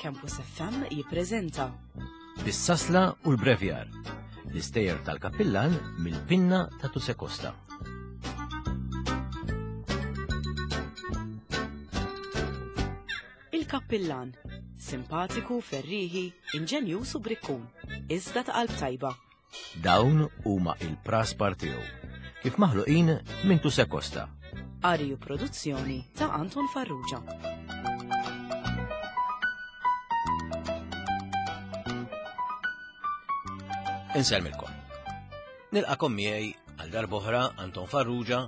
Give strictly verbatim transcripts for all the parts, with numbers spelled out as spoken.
Campus F M jippreżenta Bis-sasla u l-brevjar, l-istejjer tal-kappillan mill-pinna ta' Tusè Costa. Il-kappillan, simpatiku, ferriħi, inġenjuż u brikkun, iżda ta' qalb tajba. Dawn huma il-praspar tiegħu, kif maħluqin minn Tusè Costa. Qari u produzzjoni ta' Anton Farrugia. Insellmilkom. Nilqakom miegħi għal darb'oħra Anton Farrugia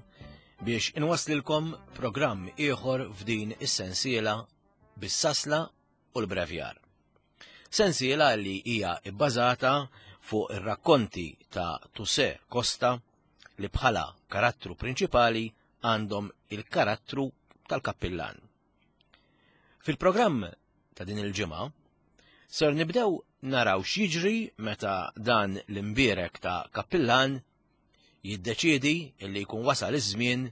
biex inwaslilkom programm ieħor f'din is-sensiela bis-sasla u l-brevjar. Sensiela li hija bbażata fuq ir-rakkonti ta' Tusè Costa li bħala karattru prinċipali għandhom il-karattru tal-kappillan. Fil-programm ta' din il-ġimgħa ser nibdew naraw x'jiġri meta dan l-imbierek ta' kappillan jiddeċiedi illi jkun wasal iż-żmien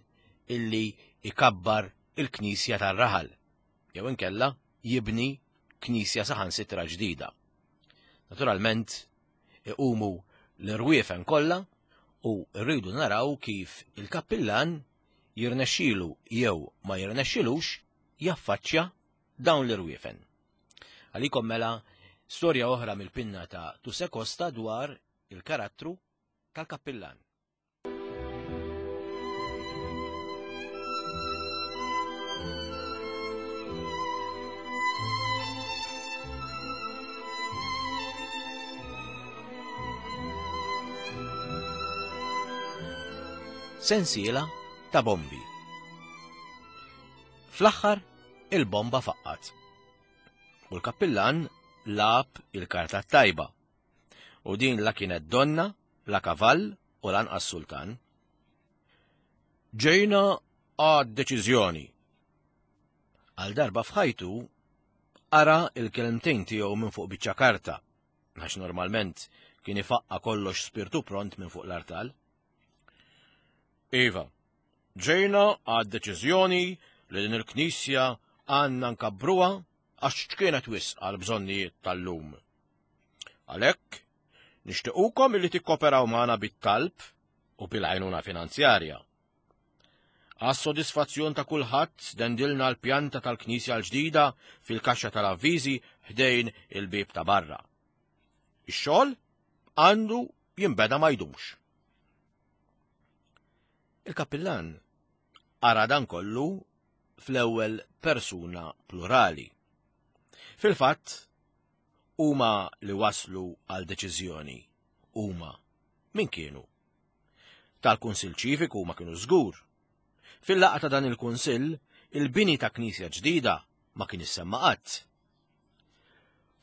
illi ikabbar il-knisja tar-raħal, jew inkella jibni knisja saħansitra ġdida. Naturalment, iqumu l-irwiefen kollha u rridu naraw kif il-kappillan jirnexxilu jew ma jirnexxilux jaffaċċja dawn l-irwiefen. Għalikom mela storja oħra mill-pinna ta' Tusè Costa dwar il-karattru tal-kappillan. Sensiela ta' bombi. Fl-aħħar il-bomba faqqat. U l-kappillan lab il-karta tajba. U din la kienet donna, la kavall u lanqas sultan. Ġejna għad deċiżjoni. Għal darba f'ħajtu ara il-kelmtejn tiegħu minn fuq biċċa karta, għax normalment kien ifaqqa kollox spirtu pront minn fuq l-artal. Iva, ġejna għad deċiżjoni li din il-knisja għandna nkabbruha għax kienet wisq għal bżonnijiet tal-lum. Għalhekk, nixtiequkom illi tikkoperaw magħna bit-talb u bil-għajnuna finanzjarja. Għas-sodisfazzjon ta' kulħadd dendilna l-pjanta tal-knisja l-ġdida fil-kaxxa tal-avviżi ħdejn il-bieb ta' barra. Ix-xogħol għandu jinbeda ma jdumx. Il-kappillan ara dan kollu fl-ewwel persuna plurali. Fil-fatt, huma li waslu għal deċiżjoni, huma min kienu? Tal-Kunsill Ċiviku ma kienu żgur. Fil-laqgħa ta' dan il-Kunsill, il-bini ta' knisja ġdida ma kien issemma qatt.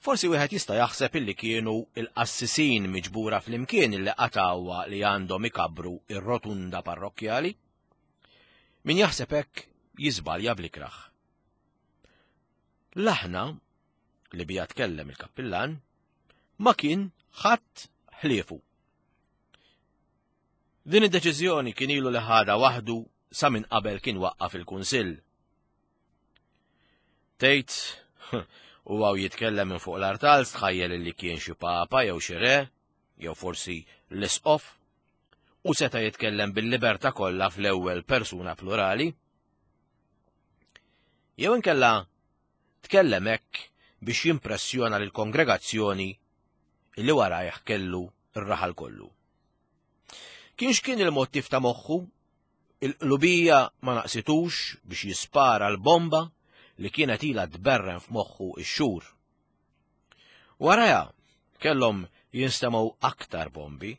Forsi wieħed jista' jaħseb illi kienu il-qassisin miġbura flimkien illi qatgħuha li għandhom ikabbru ir-rotunda parrokkjali. Min jaħseb hekk jiżbalja bl-ikraħ. L-aħna li bija tkellem il-kappillan ma kien ħadd ħliefu. Din id-deċiżjoni kien ilu li ħadha waħdu sa minn qabel kien waqqaf il-Kunsill. Tgħid, u għaw jitkellem minn fuq l-artal stħajjel li kien xi papa jew xi re, jew forsi l-isqof, u seta' jitkellem bil-libertà kollha fl-ewwel persuna plurali. Jew inkella tkellem hekk biex jimpressjona lill-kongregazzjoni illi warajh kellu r-raħal kollu. Kienx kien il-mottiv ta' moħħu, il-qlubija ma naqsitux biex jispara l-bomba li kienet ilha tberren f'moħħu x-xhur. Waraja kellhom jinstemgħu aktar bombi,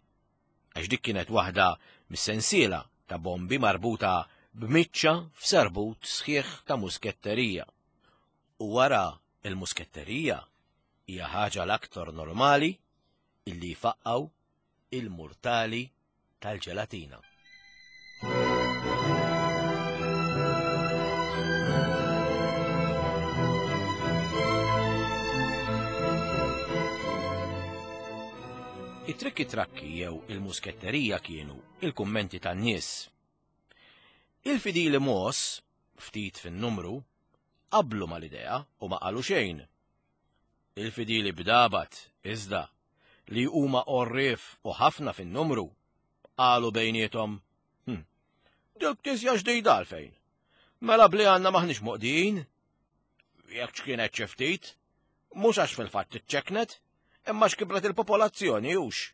għax dik kienet waħda mis-sensiela ta' bombi marbuta b'miċċa f'serbut sħiħ ta' musketterija. U wara il-musketterija hija ħaġa l-aktar normali illi jfaqqgħu il-murtali tal-ġelatina. It-trikki trakki jew il-musketterija kienu il-kummenti tan-nies. Il-fidili mos, ftit fin-numru, qablu mal-idea u ma qalu xejn. Il-fidili bdabat, iżda, li huma għorrief u ħafna fin-numru, qalu bejniethom, hm, dik knisja ġdida għalfejn. Mela bli għandna maħniex moqdijin. Jekk x'kienet xi ftit, mhux għax fil-fatt iċċeknet, imma x'kibret il-popolazzjoni hux.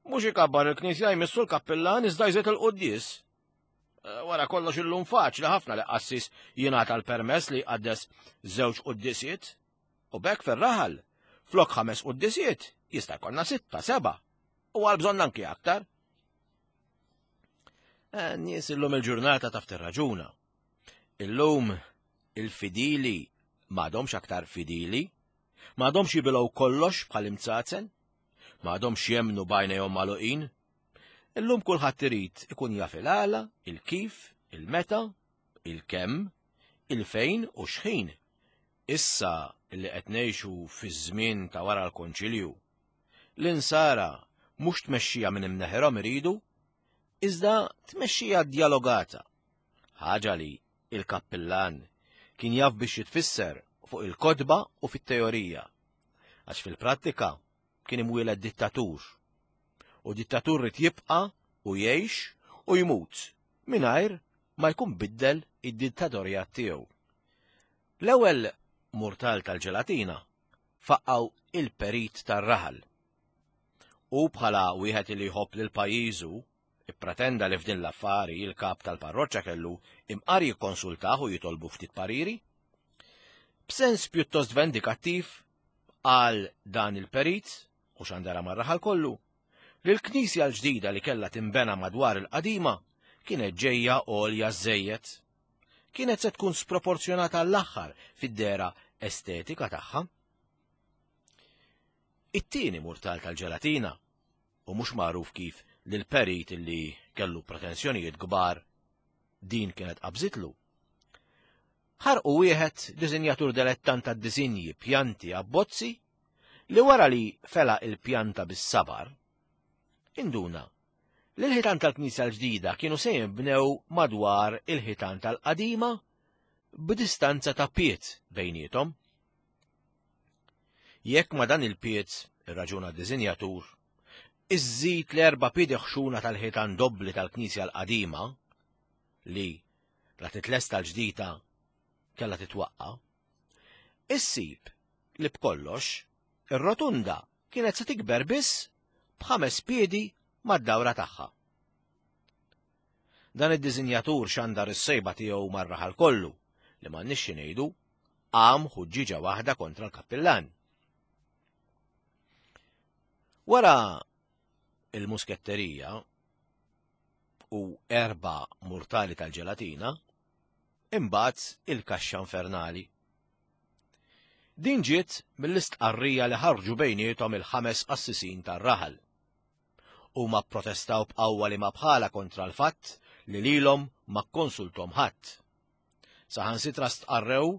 Mhux ikabbar il-knisja jmissu l-kappillan iżda jżid il-quddies. Wara kollox illum faċli ħafna li qassis jingħata l-permess li jqaddes żewġ quddisiet. U b'hekk fir-raħal, flok ħames quddisiet, jista' jkollna sitta, seba', u għal bżonn anki aktar. Nies illum il-ġurnata taf tirraġuna. Illum il-fidili m'għadhomx aktar fidili, m'għadhomx jibilgħu kollox bħal imzazen, m'għadhomx jemmnu b'għajnejhom magħluqin. Illum kulħadd irid ikun jaf il-għala, il-kif, il-meta, il-kemm, il-fejn u x'ħin. Issa li qed ngħixu fiż-żmien ta' wara l-Konċilju, l-insara mhux tmexxija minn imneħirhom iridu, iżda tmexxija djalogata, ħaġa li il-kappillan kien jaf biex jitfisser fuq il-kotba u fit-teorija, għax fil-prattika kien imwieled dittatur, u dittatur rid jibqa' u jgħix u jmut mingħajr ma jkun biddel id-dittatorjat tiegħu. L-ewwel murtal tal-ġelatina faqqaw il-perit tar-raħal. U bħala wieħed li jħobb lil pajjiżu, ippretenda li f'din l-affari il-kap tal-parroċċa kellu imqar jikkonsultah u jitolbu ftit pariri. B'sens pjuttost vendikattiv qal dan il-perit, u xandara mar-raħal kollu, li l-knisja l-ġdida li kellha tinbena madwar il-qadima kienet ġejja għolja żejjed. Kienet se tkun sproporzjonata l-aħħar fid-dera estetika tagħha. It-tieni murtal tal-ġelatina, u mhux magħruf kif lil perit li kellu pretensjonijiet kbar din kienet qabżitlu. Ħarqu wieħed disinjatur dilettant tad-disinji, pjanti, abbozzi, li wara li fela il-pjanta bis-sabar, induna li l-ħitan tal-knisja l-ġdida kienu se jinbnew madwar il-ħitan tal-qadima b'distanza ta' piet bejniethom. Jekk ma dan il-piet, irraġuna d-disinjatur, iżżid l-erba' piedi ħxuna tal-ħitan dobbli tal-knisja l-qadima, li la titlesta l-ġdida kellha titwaqqa', issib li b'kollox ir-rotunda kienet se tikber biss b'ħames piedi mad-dawra tagħha. Dan id-disinjatur xandar is-sejba tiegħu mar-raħal kollu li m'għandniex xi ngħidu qam ħuġġiġa waħda kontra l-kappillan. Wara il-musketterija u erba' murtali tal-ġelatina, imbagħad il-kaxxa infernali. Din ġiet mill-istqarrija li ħarġu bejniethom il-ħames qassisin tar-raħal. Huma pprotestaw b'qawwa li ma bħala kontra l-fatt li lilhom ma kkonsultom ħadd. Saħansitra stqarrew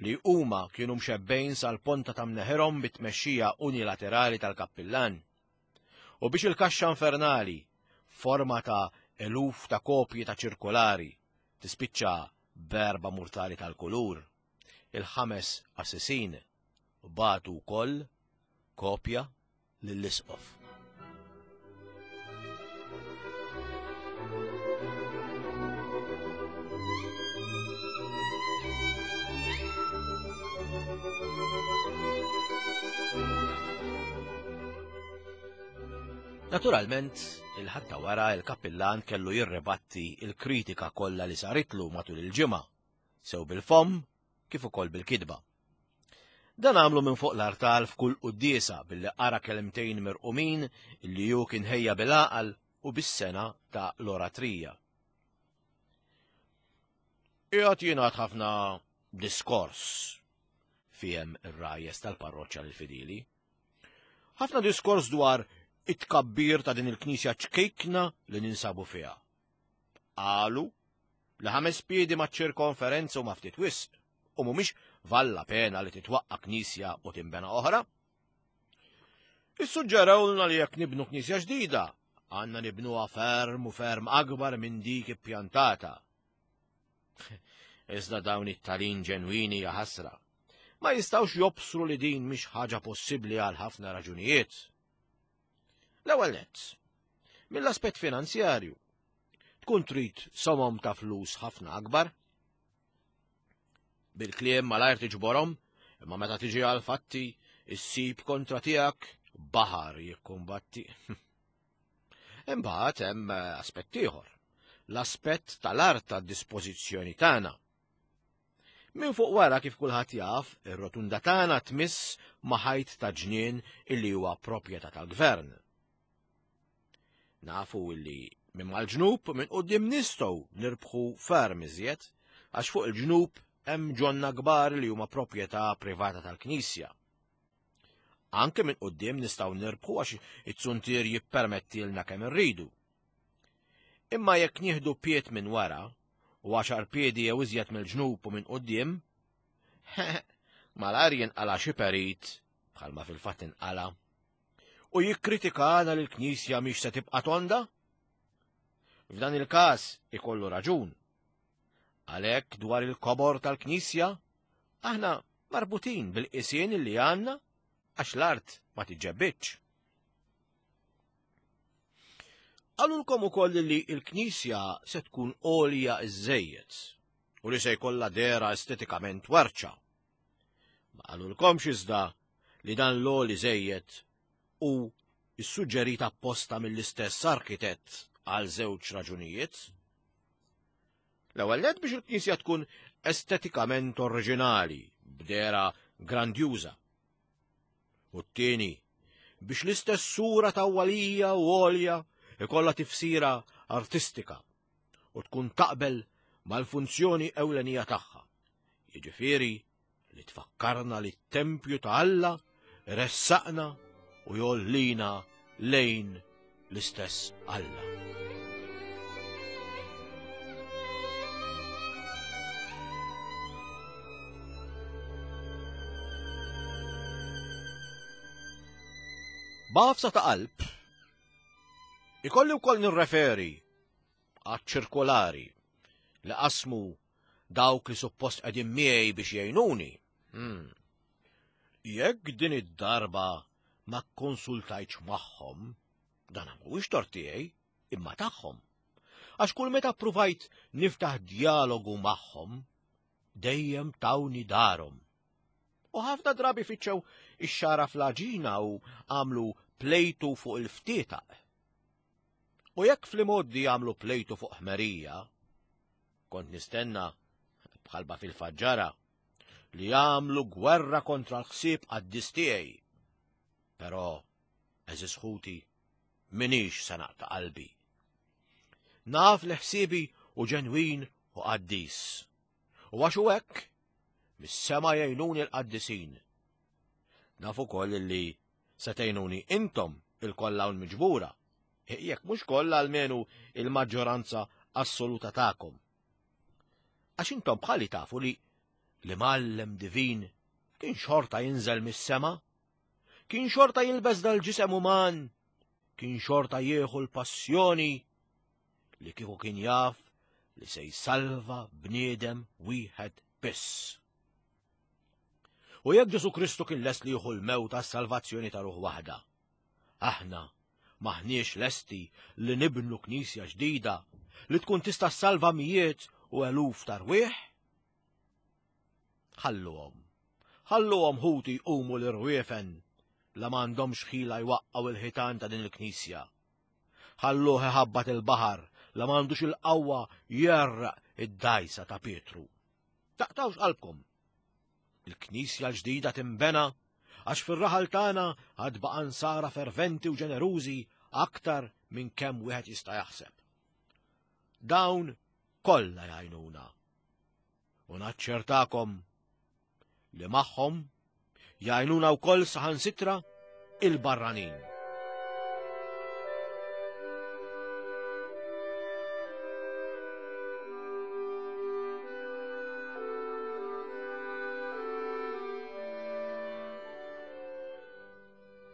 li huma kienu mxebbejn sal-ponta ta' mneħirhom bit-tmexxija unilaterali tal-kappillan. U biex il-kaxxa infernali, forma ta' eluf ta' kopji ta' ċirkolari, tispiċċa b'erba' murtali tal-kulur, il-ħames qassisin bagħtu wkoll kopja lill-isqof. Naturalment, il-ħadd ta' wara il-kappillan kellu jirribatti il-kritika kollha li saritlu matul il-ġimgħa, sew bil-fomm kif ukoll bil-kidba. Dan għamlu minn fuq l-artal f'kull quddiesa billi qara kelmtejn mirqumin li hu kien ħejja bil-għaqal u bis-sena ta' l-oratrija. Qiegħed jingħad ħafna diskors fiem ir-rajjes tal-parroċċa lill-fidili. Ħafna diskors dwar it-tkabbir ta' din il-knisja ċkejkna li ninsabu fiha. Qalu li ħames piedi ma' ċirkonferenza u ma' ftit wisq, u mhumiex valla pena li titwaqqa' knisja u tinbena oħra. Issuġġerawlna li jekk nibnu knisja ġdida, għandna nibnuha ferm u ferm akbar minn dik ippjantata. Iżda dawn it-talin ġenwini jaħasra. ma jistgħux jobsru li din mhix ħaġa possibbli għal ħafna raġunijiet. L-ewwel nett, mill-aspett finanzjarju, tkun trid somom ta' flus ħafna akbar. Bil-kliem malajr tiġborhom, imma meta tiġi għal fatti issib kontra tiegħek baħar jikkumbatti. Imbagħad hemm aspett ieħor, l-aspett tal-art tad-dispożizzjoni tagħna. Minn fuq wara kif kulħadd jaf, ir-rotunda tagħna tmiss ma' ħajt ta' ġnien illi huwa proprjetà tal-gvern. Nafu illi minn mal-ġnub minn quddiem nistgħu nirbħu ferm iżjed, għax fuq il-ġnub hemm ġonna kbar li huma proprjetà privata tal-Knisja. Anke minn quddiem nistgħu nirbħu għax it-suntier jippermettilna kemm irridu. Imma jekk nieħdu pied minn wara u għaxar piedi jew iżjed mill-ġnub u minn quddiem, malajr jinqala xi perit bħalma fil-fatt inqala u jikkritikana li l-Knisja mhix se tibqa' tonda. F'dan il-każ ikollu raġun. Għalhekk dwar il-kobor tal-Knisja aħna marbutin bil-qisien li għandna għax l-art ma tiġġebbitx. Qalulkom ukoll li l-Knisja se tkun għolja iżżejjed u li se jkollha dehra estetikament warċa. Ma qalulkomx iżda li dan l-għoli żejjed u issuġġerit apposta mill-istess arkitett għal żewġ raġunijiet. L-ewwel nett biex il-Knisja tkun estetikament oriġinali, b'dehra grandjuża. U t-tieni biex l-istess sura tawwalija u għolja ikollha tifsira artistika u tkun taqbel mal-funzjoni ewlenija tagħha. Jiġifieri li tfakkarna li t-tempju ta' Alla ressaqna u jollina lejn l-istess Alla. B'għafsa ta' qalb, ikolli wkoll nirreferi għaċ-ċirkolari li qasmu dawk li suppost qegħdin miegħi biex jgħinuni. Hmm. Jekk din id-darba ma kkonsultajtx magħhom, dan mhuwiex tort tiegħi, imma tagħhom. Għax kull meta ppruvajt niftaħ dialogu magħhom, dejjem tawni darhom. U ħafna drabi fittxew ix-xara fl-għaġina u għamlu plejtu fuq il-ftietaq. U jekk fl-imoddi għamlu plejtu fuq ħmerija, kont nistenna, bħalba fil-faġġara, li għamlu gwerra kontra l-ħsieb qaddis tiegħi. Però, għeżież ħuti, minix se naqta' qalbi. Naf li ħsiebi u ġenwin u qaddis. U għax hu hekk, mis-sema jgħinuni l-qaddisin. Naf ukoll li se tgħinuni intom il-kollha hawn miġbura, jekk mhux kollha almenu il-maġġoranza assoluta tagħkom. Għax intom bħali tafu li l-imgħallem divin kien xorta jinżel mis-sema, kien xorta jilbes dal-ġisem uman, kien xorta jieħu l-passjoni li kieku kien jaf li se jsalva bniedem wieħed biss. U jekk Ġesù Kristu kien lest li jieħu l-mewt għas-salvazzjoni ta' ruħ waħda, aħna maħniex lesti li nibnu knisja ġdida li tkun tista' ssalva mijiet u eluf ta' rwieħ? Ħalluhom, ħalluhom ħuti jqumu l-irwiefen la m'għandhomx ħila jwaqqgħu il-ħitan ta' din il-knisja. Ħalluh iħabbat il-baħar la m'għandux il-qawwa jerraq id-dajsa ta' Pietru. Taqtawx qalbkom. Il-knisja l-ġdida timbena għax fir-raħal tagħna għad baqa' nsara ferventi u ġenerużi aktar minn kemm wieħed jista' jaħseb. Dawn kollha jgħinuna. U naċċertakom li magħhom jgħinuna wkoll saħansitra il-barranin.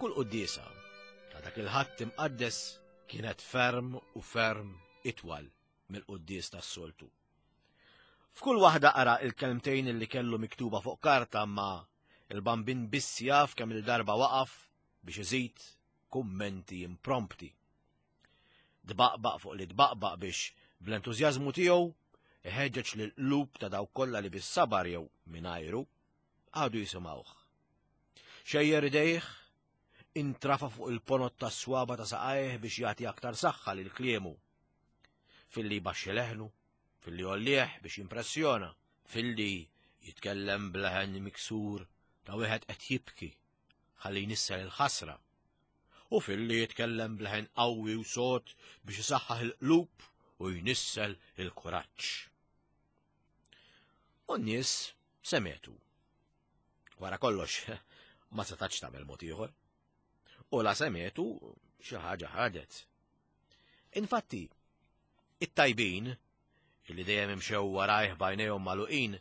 Kull quddiesa ta' dak il-Ħadd imqaddes kienet ferm u ferm itwal mill-quddies tas-soltu. F'kull waħda qara il-kelmtejn li kellu miktuba fuq karta ma Il-bambin biss jaf kemm il-darba waqaf biex iżid kummenti imprompti. Dbaqbaq fuq li dbaqbaq biex bl-entużjażmu tiegħu iħeġġeġ lill-qlub ta' dawk kollha li bis-sabar jew mingħajru għadu jisimgħuh. Xejjer idejh, intrafa fuq il-ponot tas-swaba ta' saqajh biex jagħti aktar saħħa lil kliemu. Filli jbaxxi leħnu, filli jgħollih biex jimpressjona, filli jitkellem b'leħen miksur ta' wieħed qed jibki ħalli jnissel il-ħasra, u filli jitkellem b'leħen qawwi u sod biex isaħħaħ il-qlub u jnissel il-kuraġġ. U n-nies semgħetu. Wara kollox, ma setax tagħmel mod ieħor. U la semgħetu xi ħaġa ħadet. Infatti, it-tajbin, illi dejjem imxew warajh b'għajnejhom magħluqin,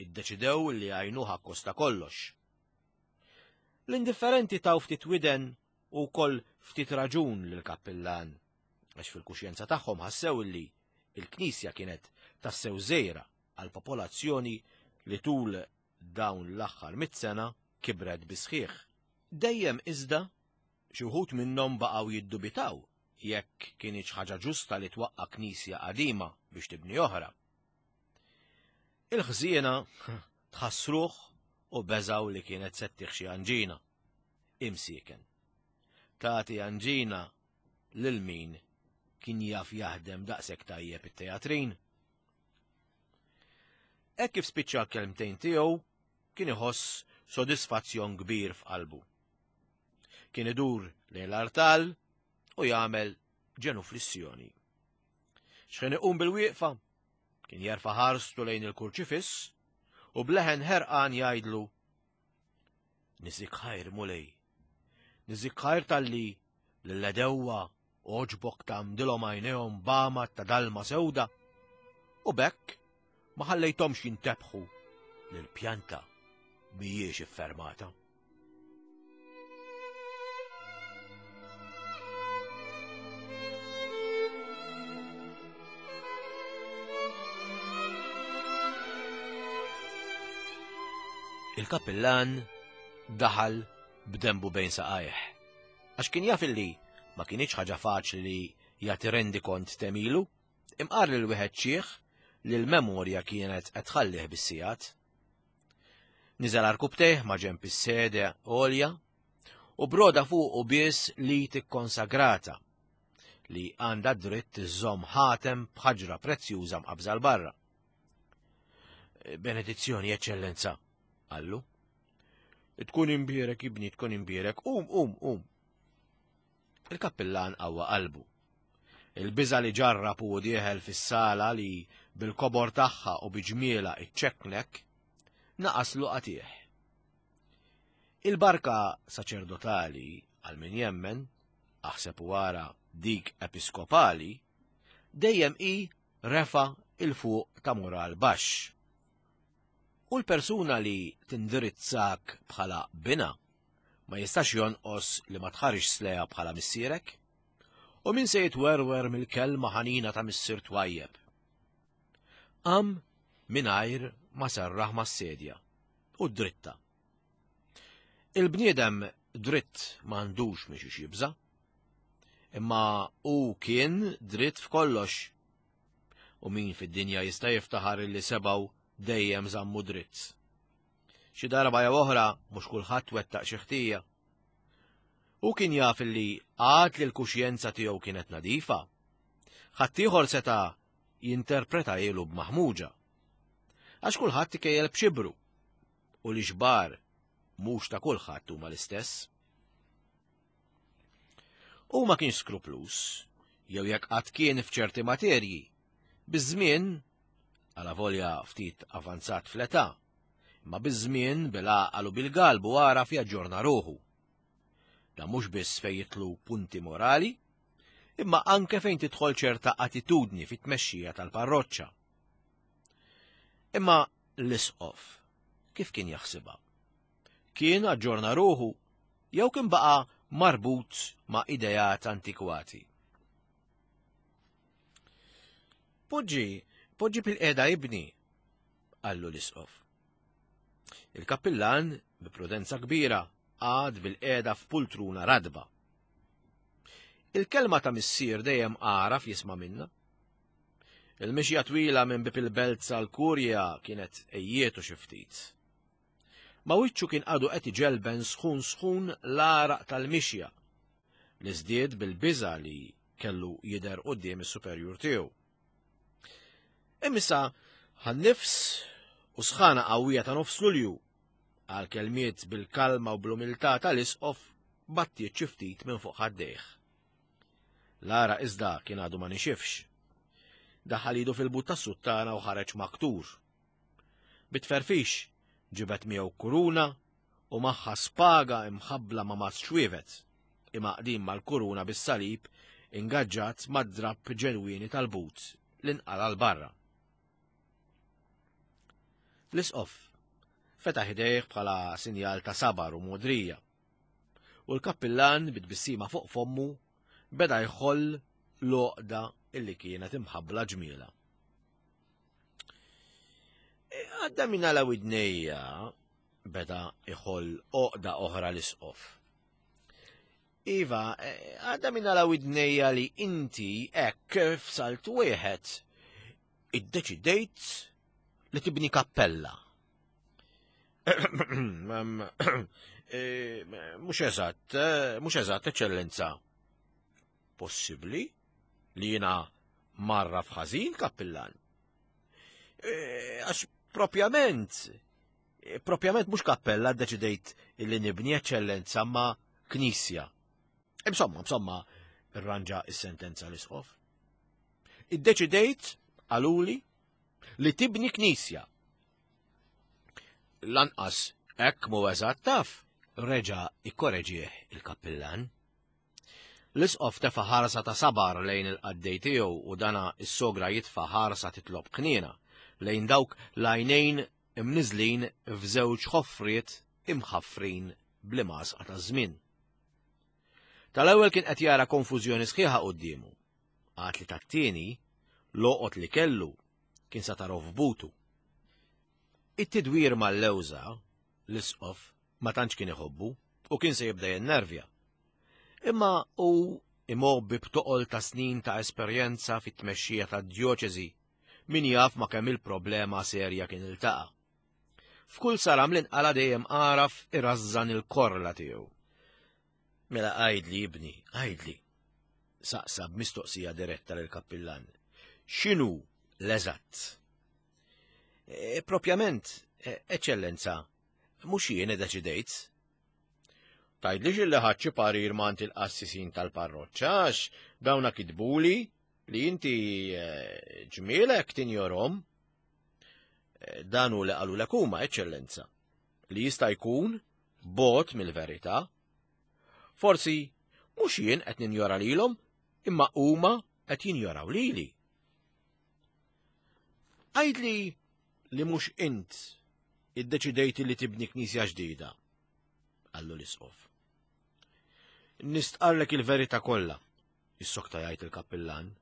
iddeċidew li jgħinuh akkosta kollox. L-indifferenti taw ftit widen u wkoll ftit raġun lill-kappillan, għax fil-kuxjenza tagħhom ħassew illi il-knisja kienet tassew żgħira għal popolazzjoni li tul dawn l-aħħar mitt sena kibret bisħieħ. Dejjem iżda xi wħud minnhom baqgħu jiddubitaw jekk kienx ħaġa ġusta li twaqqa' knisja qadima biex tibni oħra. Il-ħżiena tħassruh u beżaw li kienet se ttih xi anġina. Imsieken. Tagħti anġina lil min kien jaf jaħdem daqshekk tajjeb it-teatrin. Hekk kif spiċċa l-kelmtejn tiegħu kien iħoss sodisfazzjon kbir f'qalbu. Kien idur lejn l-artal u jagħmel ġenuflissjoni. X'ħin iqum bil-wieqfa, kien jerfa' ħarstu lejn il-kurċifiss u bleħen ħerqan jgħidlu: Niżik ħajr, Mulej, niżik ħajr talli lill-edewwa għoġbok tagħmdilhom għajnejhom b'għamad ta' dalma sewda, u b'hekk ma ħallejthomx jintebħu li l-pjanta mhijiex iffermata. Il-kappillan daħal b'dembu bejn saqajh, għax kien jaf illi ma kienx ħaġa faċli li jagħti rendikont temilu, imqar lil wieħed xiħ li l-memorja kienet qed tħallih bis-sigħat. Niżel arkubtejh ma' ġenb is-sede għolja u broda fuqu biss li tikkonsagrata li għandha dritt iżżomm ħatem b'ħaġra prezzjuża mqabża 'l barra. Benedizzjoni, Eċċellenza, qallu. Tkun imbierek, ibni, tkun imbierek, um, um, um. Il-kappillan qawwa qalbu. Il-biża li ġarrab u dieħel fis-sala li bil-kobor tagħha u biġmiela iċċeknek naqaslu qatih. Il-barka saċerdotali għal min jemmen, aħseb u wara dik episkopali, dejjem hi refa il fuq ta' moral baxx. U l-persuna li tindirizzak bħala bina ma jistax jonqos li ma tħarix sleja bħala missierek, u min se jitwerwer mill-kelma ħanina ta' missier twajjeb. Qam mingħajr ma serraħ mas-sedja u dritta. Il-bniedem dritt m'għandux miex jibża, imma hu kien dritt f'kollox, u min fid-dinja jista' jiftaħar illi sebgħu dejjem żammu dritt. Xi darba jew oħra mhux kulħadd wettaq xi ħtija. U kien jaf illi għad li l-kuxjenza tiegħu kienet nadifa, ħaddieħor seta' jinterpreta ilu b'maħmuġa. Għax kulħadd ikejjel b'xibru, u li xbar mhux ta' kulħadd huma l-istess. U ma kienx skruplus, jew jekk qatt kien f'ċerti materji, biż-żmien, għala volja ftit avanzat fl-età, imma biż-żmien bil-għaqal u bil-galbu għaraf jaġġorna ruħu. Dan mhux biss fejn jitlu punti morali, imma anke fejn tidħol ċerta attitudni fit-tmexxija tal-parroċċa. Imma l-isqof kif kien jaħsibha? Kien aġġorna ruħu jew kien baqa' marbut ma' idejat antikwati? Poġġi, poġġi bil-qiegħda ibni, qallu l-isqof. Il-kappillan, bi prudenza kbira, għad bil-qiegħda f'pultruna radba. Il-kelma ta' missier dejjem għaraf jisma' minna. Il-mixja twila minn bib il-belt sal-kurja kienet ejjietu xi ftit. Ma wiċċu kien għadu qed iġelben sħun sħun l-għaraq tal-mixja li żdied bil-biża' li kellu jidher quddiem is-superjur tiegħu. Imissa ħan-nifs u sħana qawwija ta' nofs Lulju għal kelmiet bil-kalma u bl-umiltà tal-isqof battiet xi ftit minn fuq ħaddejh. L-għaraq iżda kien għadu ma nixifx. Daħal idu fil-but tas-suttana u ħareġ maktur. Bitferfix ġibet miegħu kuruna u magħha spaga imħabbla ma' mazz xwievet, imaqdim mal-kuruna bis-salib ingaġġat mad-drapp ġenwini tal-but li nqala 'l barra. L-isqof fetaħ idejh bħala sinjal ta' sabar u modrija, u l-kappillan bit-tbissima fuq fommu beda jħoll l-għoqda illi kienet imħabbla ġmiela. Għadda minn għala widnejja beda iħoll għoqda oħra l-isqof. Iva, għadda minn għala widnejja li inti hekk f'salt wieħed iddeċidejt li tibni kappella. Mhux eżatt, mhux eżatt, eċċellenza. Possibbli li jiena marra f'ħażin, kappillan? Għax propjament, propjament mhux kappella ddeċidejt li nibni, eċċellenza, ma knisja. Insomma, insomma, irranġa is-sentenza l-isqof. Iddeċidejt, qaluli, li tibni knisja. Lanqas hekk mhu eżatt taf, reġa' ikkoreġih il-kappillan. L-isqof tefa' ħarsa ta' sabar lejn il-qaddej tiegħu u dana is-sogra jitfa' ħarsa titlob kniena lejn dawk l-għajnejn imniżlin f'żewġ ħofriet imħaffrin bl-imgħasqa taż-żmien. Tal-ewwel kien qed jara konfużjoni sħiħa quddiemu, għad li tat-tieni loqot li kellu kien sa taraw f'butu. It-tidwir mal-lewża l-isqof ma tantx kien iħobbu u kien se jibda jennervja. Imma hu imgħobbi b'toqol ta' snin ta' esperjenza fit-tmexxija tad-djoċesi min jaf ma' kemm il-problema serja kien iltaqa'. F'kull saram li nqala dejjem għaraf irażżan il-korla tiegħu. Mela għajdli ibni, għajdli, saqsa b'mistoqsija diretta lill-kappillan. X'inhu l-eżatt? E, propjament, eċċellenza, mhux jien iddeċidejt. Tgħidlix illi ħadt xi parir m'għand il-qassisin tal-parroċċa għax dawna kitbuli li inti ġmielek tinjorhom. Dan hu li qalulek huma, eċċellenza, li jista' jkun bot mill-verità. Forsi mhux jien qed ninjora lilhom, imma huma qed jinjoraw lili. Għidli li mhux int iddeċidejt li tibni knisja ġdida, qallu l-isqof. Nistqarrlek il-verità kollha, issokta jgħid il-kappillan.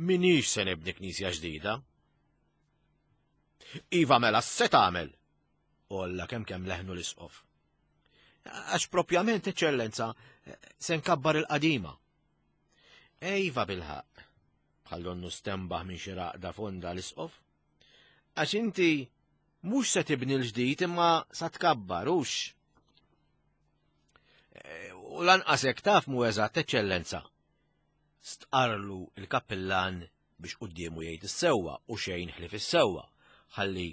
Minix se nibni knisja ġdida. Iva mela se tagħmel, olla kemm kemm leħnu l-isqof. Għax propjament, eċċellenza, se nkabbar il-qadima. Ejva bilħaq, bħal donnu stembaħ minn xi raqda fonda l-isqof. Għax inti mhux se tibni l-ġdid imma sa tkabbar, hux. U lanqas hekk taf mhu eżatt, eċċellenza. Stqarlu il-kappillan biex quddiemu jgħid is-sewwa u xejn ħlief is-sewwa, ħalli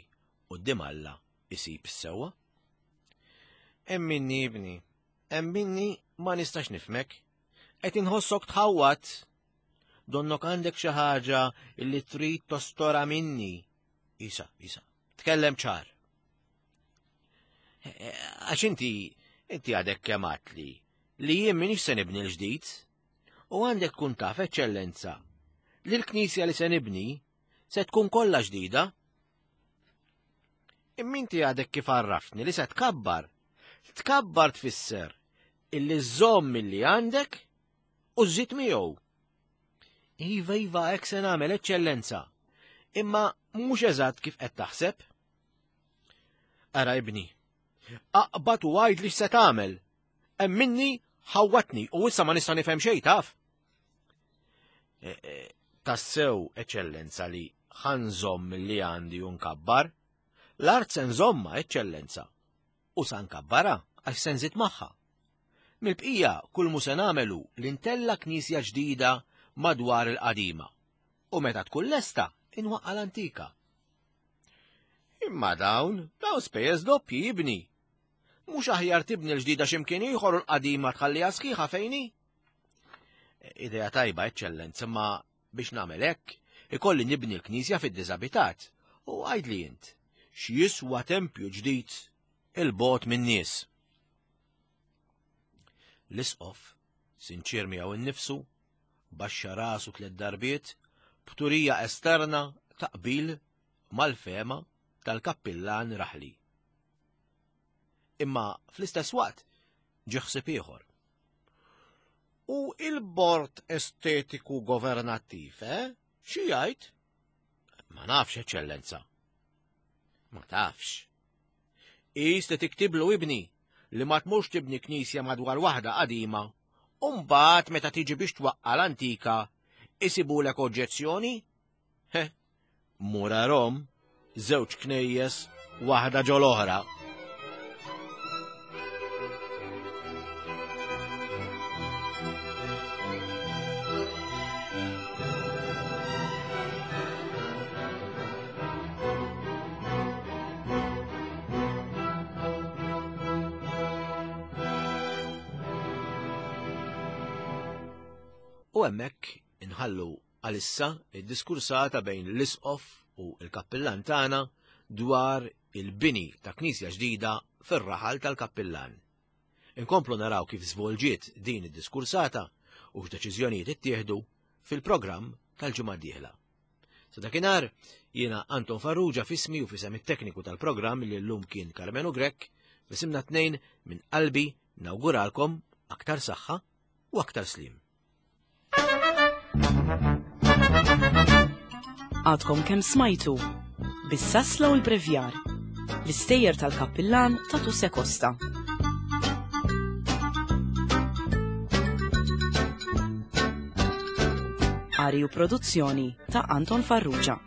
quddiem Alla isib is-sewwa. Emminni ibni, emminni ma nistax nifhmek. Qed inħossok tħawwat. Donnok għandek xi ħaġa illi trid tostora minni. Isa, isa, tkellem ċar. Għax inti, inti għadek kemm għadtli li jien minix se nibni l-ġdid, u għandek tkun taf, eċċellenza, li l-knisja li se nibni se tkun kollha ġdida. Imma inti għadek kif għarraftni li se tkabbar. Tkabbar tfisser illi żżomm illi għandek u żżid miegħu. Iva, iva, hekk se nagħmel, eċċellenza. Imma mhux eżatt kif qed taħseb. Ara ibni, aqbad u għid li x'se tagħmel. Emminni ħawwatni u issa ma nista' nifhem xejn taf. E, e, tassew eċċellenza li ħa nżomm li għandi u nkabbar, l-art se nżommha eċċellenza. U sa nkabbara għax se nżid magħha. Mill-bqija kull mu se nagħmelu li ntella' knisja ġdida madwar il-qadima. U meta tkun lesta inwaqqa' l-antika. Imma dawn, dawn spejjeż doppji ibni. Mhux aħjar tibni l-ġdida x'imkien ieħor u l-qadima tħalliha sħiħa fejn hi? Idea tajba eċċellenza, ma biex nagħmel hekk ikolli nibni l-knisja fid-diżabitat. U għidli int, x'jiswa tempju ġdid il-bogħod min-nies. L-isqof, sinċir miegħu innifsu, baxxa rasu tliet darbiet, b'turija esterna ta' qbil mal-fehma tal-kappillan raħli. Imma fl-istess waqt ġie ħsieb ieħor. U il-bord estetiku governattiv, eh? Xi jgħid? Ma nafx, eċċellenza. Ma tafx. Qis li tiktiblu ibni li ma tmurx tibni knisja madwar waħda qadima, u mbagħad meta tiġi biex twaqqa' l-antika, isibulek oġġezzjoni? He, mur arahom, żewġ knejjes, waħda ġol oħra. U hemmhekk inħallu għalissa id-diskursata bejn l-isqof u l-kappillan tagħna dwar il-bini ta' knisja ġdida fir-raħal tal-kappillan. Inkomplu naraw kif żvolġiet din id-diskursata u x'deċiżjonijiet ittieħdu fil-programm tal-ġimgħa d-dieħla. Sa dakinhar jiena Anton Farrugia f'ismi u f'isem it-tekniku tal-programm li llum kien Karmenu Grech, f'isimna tnejn minn qalbi nawguralkom aktar saħħa u aktar slim. Għadkom kemm smajtu bis-sasla u l-brevjar l-istejjer tal-kappillan ta' Tuse Costa. Qari u produzzjoni ta' Anton Farrugia.